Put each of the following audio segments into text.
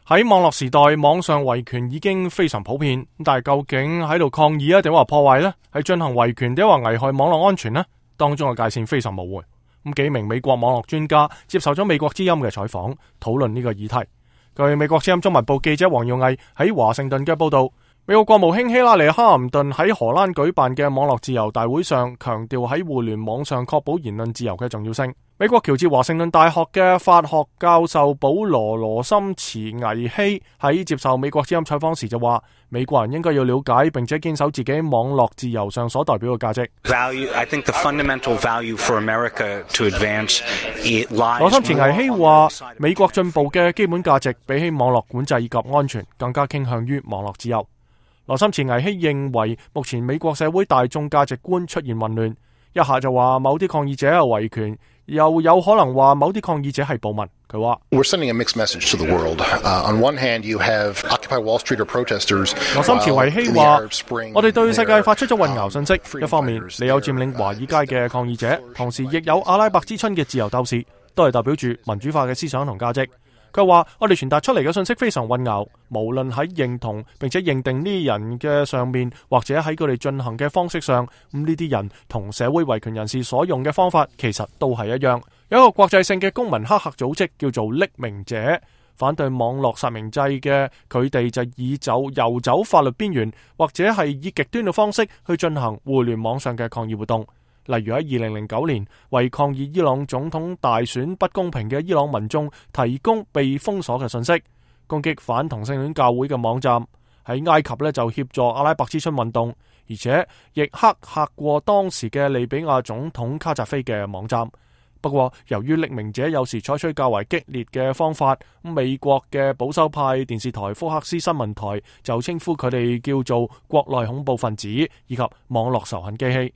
喺網絡時代，網上維權已經非常普遍，但係究竟喺度抗議啊，定話破壞呢？係進行維權定話危害網絡安全呢？當中嘅界線非常模糊。咁幾名美國網絡專家接受咗美國之音嘅採訪，討論呢個議題。據美國之音中文部記者黃耀毅喺華盛頓嘅報道，美國國務卿希拉里哈林頓喺荷蘭舉辦嘅網絡自由大會上，強調喺互聯網上確保言論自由嘅重要性。美國喬治華盛頓大學嘅法學教授保羅森茨危希喺接受美國之音採訪時就話，美國人應該要了解並且堅守自己網絡自由上所代表嘅價值。羅森茨危希話，美國進步嘅基本價值比起網絡管制以及安全，更加傾向於網絡自由。羅森茨危希認為，目前美國社會大眾價值觀出現混亂，一下就話某啲抗議者係維權，又有可能話某啲抗議者係暴民。佢話羅森茨危希話，我哋對世界發出咗混淆信息。一方面，你有佔領華爾街嘅抗議者，同時亦有阿拉伯之春嘅自由鬥士，都係代表住民主化嘅思想同價值。佢話我哋傳達出嚟嘅信息非常混淆，無論喺認同並且認定呢啲人嘅上面，或者喺佢哋進行嘅方式上，咁呢啲人同社會維權人士所用嘅方法其實都係一樣。有一個國際性嘅公民黑客組織叫做匿名者，反對網絡實名制嘅，佢哋就以游走法律邊緣，或者係以極端嘅方式去進行互聯網上嘅抗議活動。例如喺2009年，為抗議伊朗總統大選不公平嘅伊朗民眾提供被封鎖嘅信息，攻擊反同性戀教會嘅網站。喺埃及呢，就協助阿拉伯之春運動，而且亦黑客過當時嘅利比亞總統卡扎菲嘅網站。不過由於匿名者有時採取較為激烈嘅方法，美國嘅保守派電視台福克斯新聞台就稱呼佢哋叫做國內恐怖分子以及網絡仇恨機器。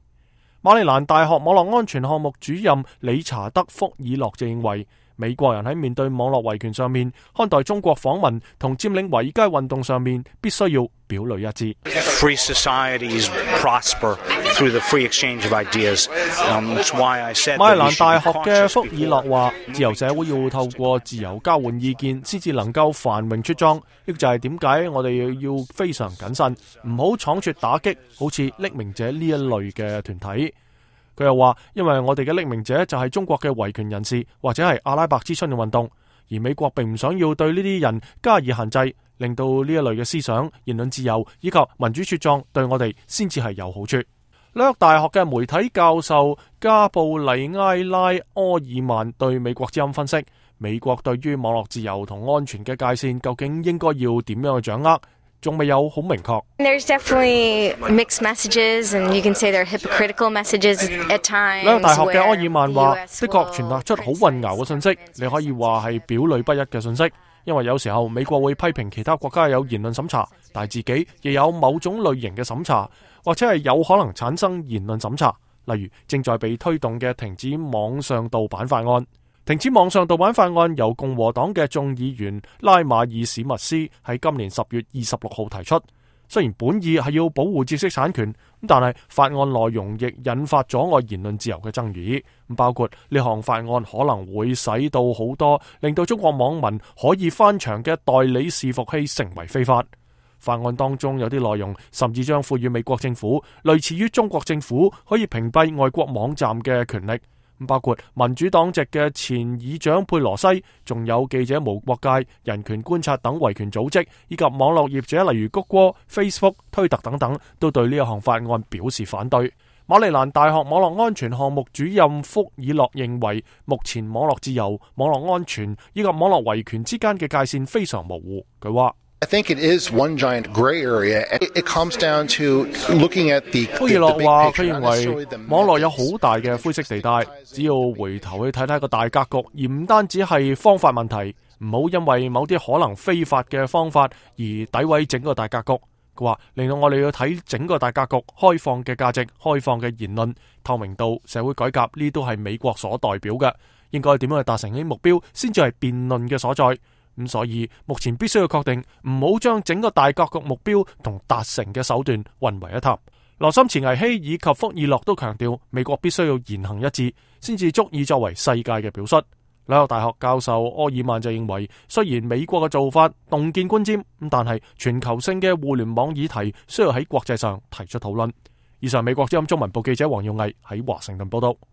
馬里蘭大學網絡安全項目主任理查德·福爾諾就認為，美國人喺面對網絡維權上面，看待中國訪問同佔領華爾街運動上面，必須要表裏一致。Free societies prosper through the free exchange of ideas. That's why I said 馬里蘭大學嘅福爾諾話，自由社會要透過自由交換意見，先至能夠繁榮茁壯。呢個就係點解我哋要非常謹慎，唔好倉促打擊好似匿名者呢一類嘅團體。佢又話，因為我哋嘅匿名者就係中國嘅維權人士，或者係阿拉伯之春嘅運動，而美國並唔想要對呢啲人加以限制，令到呢一類嘅思想、言論自由以及民主茁壯對我哋先至係有好處。紐約大學嘅媒體教授加布里埃拉·柯爾曼對美國之音分析，美國對於網絡自由同安全嘅界線究竟應該要點樣去掌握，仲未有好明確。There's definitely mixed messages, and you can say they're hypocritical messages at times. 紐約大學嘅柯爾曼話，的確傳達出好混淆嘅信息，你可以話係表裏不一嘅信息。因為有時候美國會批評其他國家有言論審查，但係自己亦有某種類型嘅審查，或者係有可能產生言論審查。例如正在被推動嘅停止網上盜版法案。停止網上盜版法案由共和黨嘅眾議員拉馬爾史密斯喺今年10月26號提出。雖然本意係要保護知識產權，但係法案內容亦引發阻礙言論自由嘅爭議。包括呢項法案可能會使到好多令到中國網民可以翻牆嘅代理伺服器成為非法。法案當中有啲內容甚至將賦予美國政府類似於中國政府可以屏蔽外國網站嘅權力。包括民主黨籍嘅前議長佩羅西，仲有記者無國界、人權觀察等維權組織，以及網絡業者例如谷歌、Facebook、推特等等，都對呢一項法案表示反對。馬里蘭大學網絡安全項目主任福爾諾認為，目前網絡自由、網絡安全以及網絡維權之間嘅界線非常模糊。佢話I think it is one giant gray area. It comes down to looking at the 福爾諾話，佢認為網絡有好大嘅灰色地帶，只要回頭去睇睇個大格局，而唔單止係方法問題，唔好因為某啲可能非法嘅方法而詆毀整個大格局。佢話令到我哋要睇整個大格局，開放嘅價值、開放嘅言論、透明度、社會改革，呢都係美國所代表嘅。應該點樣去達成呢啲目標，先至係辯論嘅所在。咁所以目前必須要確定，唔好將整個大格局目標同達成嘅手段混為一談。羅森茨危希以及福爾諾都強調，美國必須要言行一致，先至足以作為世界嘅表率。紐約大學教授柯爾曼就認為，雖然美國嘅做法洞見觀瞻，但係全球性嘅互聯網議題需要喺國際上提出討論。以上美國之音中文部記者黃耀毅喺華盛頓報道。